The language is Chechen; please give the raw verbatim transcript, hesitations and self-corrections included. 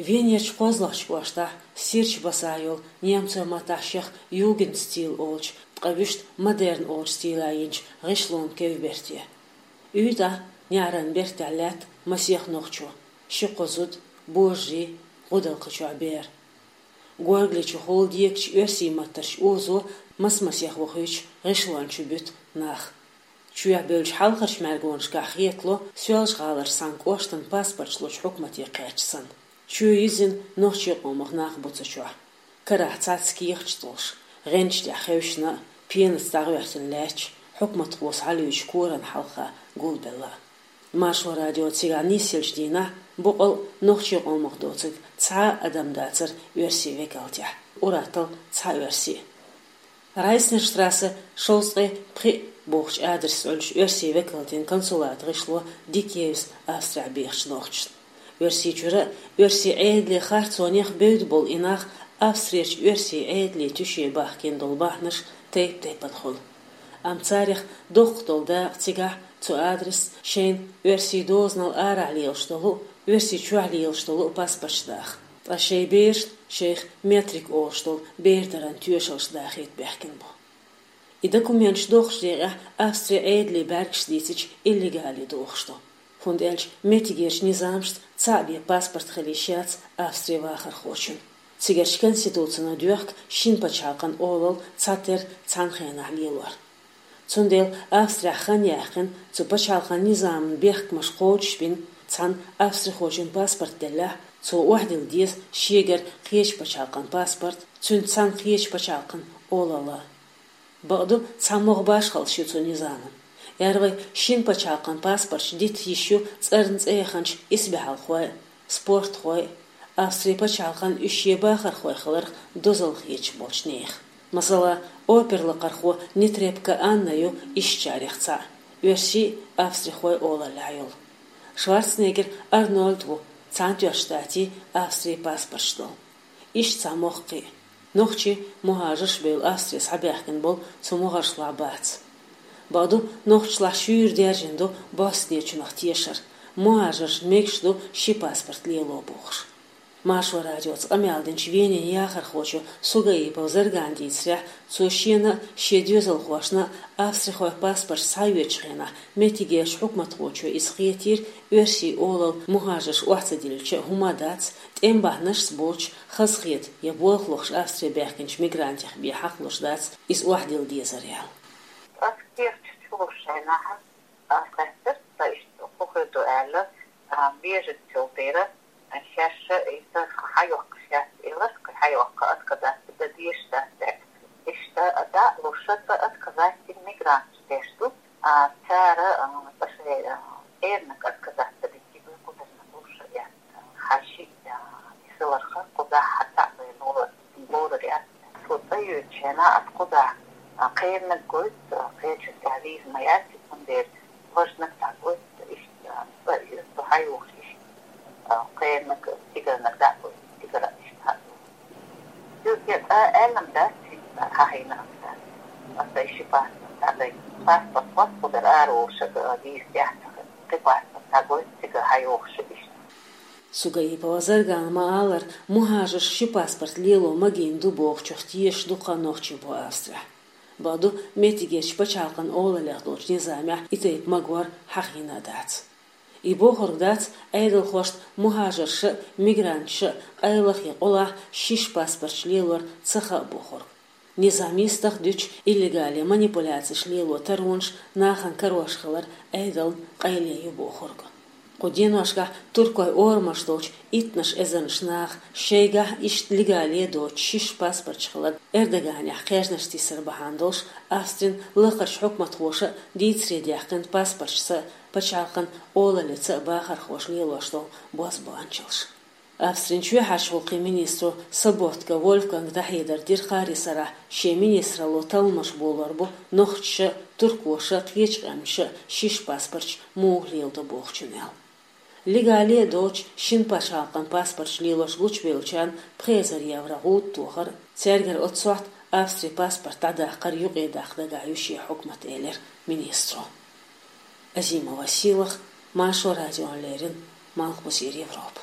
Венерчу кхозлагӀчу кӀоштахь Сирч-Басахь йолу немцойн маттахь шех Югенстиль олучу, ткъа вуьшта модерн олучу стилехь йинчу гӀишлонан кевберте. УьйтӀахь неӀаран бертехь лаьтта масех нохчо: ши-кхо зуда, божарий, гӀудалкхи чохь бер. Горгали чу хӀулла декачу оьрсийн маттарчу озо мас-масех вохуьйтуш гӀишлон чу буьту нах. Чоьхьа бевллачу хьалхарчу мӀаьргонашкахь хетало, Соьлжа-ГӀаларчу цхьана кӀоштан паспорташ лучу хьукмате кхаьчча санна. Чоь йизина нохчийн къомах нах бу цу чохь. Карахь цхьацца кехаташ долуш, гӀенташ тӀехь хевшина а, пенаца дӀахӀоьттина лаьтташ, хьукматхо схьалуьйчу коран хьалха гулбелла. Маршо радио цигахь нисъеллачу дийнахь боккъал а нохчийн къомах доцург цхьа а адам дацара оьрсийн векалтехь, уьттазза цхьа оьрси. Райснерштрассе шовзткъе пхиъ бохучу адресехь Ӏуьллучу оьрсийн векалтийн консулатан гӀишло дика евза Австрехь бехачу нохчашна. Оьрсийчуьра а, оьрсийн Ӏедалан харцонех а бевдда болу и нах Австрерчу оьрсийн Ӏедалан туьше бахкийна долу бахьанаш тайп-тайпана хуьлу. Амма царех доккха долу дакъа цигахь цу адресца шайна оьрсийн дозанал арахь лелаш долу а, оьрсийчохь лелаш долу а паспорташ даха. Ткъа шайн берашна шайх метрик олуш долу бердаран тоьшаллаш дахийта баьхкина бу. И документаш дохучу декъехь Австрин Ӏедале бӀаьргаш дийцича, иллегале дохуш ду. ХӀунда аьлча меттигерчу низамашца цхьаъ бен паспорт хила йиш яц Австрин вахархочун. Цигарчу конституцино доьхку шина пачхьалкхан олалла цхьатерра цхьана хенахь лелор. Цундела Австрехь хан яьккхина цу пачхьалкхан низаман бехкамаш кхочушбина, цхьана австрихочун паспорт деллехь, цо охьадилла деза шегара кхечу пачхьалкхан паспорт, цуьнца цхьана кхечу пачхьалкхан олалла. Бакъду, цхьамогӀа башхаллаш ю цу низаман. Эр вай, шина пачхьалкхан паспорташ дита йиш ю цӀарна цӀе яханчу исбаьхьалхой а, спортхой а, Австрин пачхьалкхан уьш шен бахархой хиларх дозалла хеташ болчу нехан. Масала, оперлакхархо Нетребко Анна ю ишттачарех цхьаъ, оьрси а, австрихой а олаллехь йолу. Шварценеггер Арнольд ву, Цхьаьнатоьхначу Штатийн, Австрин паспорташ долу. Иштта цхьамогӀа кхин а. Нохчий, мухӀажарш а бевлла Австре схьабаьхкина болу цу могӀаршлахь бац. Бакъду, нохчашлахь шуьйра даьржина ду Боснечунах тешар, мухӀажаршна мегаш ду ши паспорт лело бохуш. Маршо радиоца къамел динчу Венин яхархочо Сугаипов Заргана дийцарехь, цо шена а, шен доьзалхошна а австрихойн паспорташ схьайоьдучу хенахь меттигерчу хьукматхочо иза хетийра, оьрсийн олалла мухӀажарш охьа ца диллича а хӀума дац, тӀеман бахьанашца боцуш, хазахета я болх лохуш Австре баьхкинчу мигрантех бен хьакхалуш дац иза охьадилла дезар аьлла. Ас кехаташ чулуш шайнахьа, ас лаьттара, сан иштта хӀун хир ду аьлла, а, беженцаш дера, шаьш а иза схьайоккхуш яц элира, кхин схьайоккху отказаться дан дезаш дац аьлла. Иштта дӀа а луш, аса отказаться дина мигранташ деш ду, а, цара, а, аса шайн, а, эрнаг отказаться дитиг кхузарна луш а яц. Хьан шиъ, а, хиларх кхузахь хьан цхьаъ вай ло-, лорур яц. Цо цӀа йоьдучу хенахь ас кхузахь, а, кхераниг гойту, а, кхечунна тӀехь виза ма яц, цундела важаниг дӀагойту, иштта, а, цӀа а йоьду, цо схьайогӀуш иштта, а, кхераниг, цигарниг дӀагойту, цигара иштта хьа а йогӀу. Цуьнга цкъа аьлла-м дац, хӀинца хьахийна-м дац. Аса ши паспорт дӀадайта. Паспорт хӀотта кхузара ара волуш а виза тӀехь ца хилла. Кхин паспорт дӀагойту, цига схьайогӀуш а иштта. Сугаипова Заргана ма-аллара, мухӀажарш ши паспорт лело магийна ду бохучух тешаш дукха нохчий бу Австрехь. Бакъду, меттигерчу пачхьалкхан олаллех долчу низамехь и тайпа магор хьахийна а дац. И бохург дац, Ӏедалхошна мухӀажарша а, мигранташа а къайлах я къулахь шиш паспорташ лелор ца хаьа бохург. Низам йистах дуьтуш, иллегале манипуляцеш лело таронаш нахана карош хилар Ӏедална къайле ю бохург. Кху деношкахь туркойн орамаш долчу иттанаш эзарнаш наха шайгахь иштта легале доцуш шиш паспорташ хилар Эрдоганехь кхаьжнаш тиссар бахьана долуш, Австрин лакхарчу хьукматхоша а дийцаре даьккхина паспорташца а, пачхьалкхан олаллица а бахархоша лелош долу бозбуанчаллаш. Австрин чоьхьарчу гӀуллакхийн министро Соботка Вольфганга дӀахьедар дира кхаарин сарахь, шен министралло талламаш болор бу нохчаша а, туркоша а, кхечу къаьмнаша а шиш паспорташ муха леладо бохучун аьлла. Легале а доцуш шина пачхьалкхан паспорташ лелош гучубевллачарна пхи эзар евро гӀуда тохар а, цаьргара оццу сохьта Австрин паспорт дӀадаккхар юкъе даккха дагахь ю шен хьукмат, элира министро. Азимова Сийлаха, Маршо радиона леррина, Малхбузера Европа.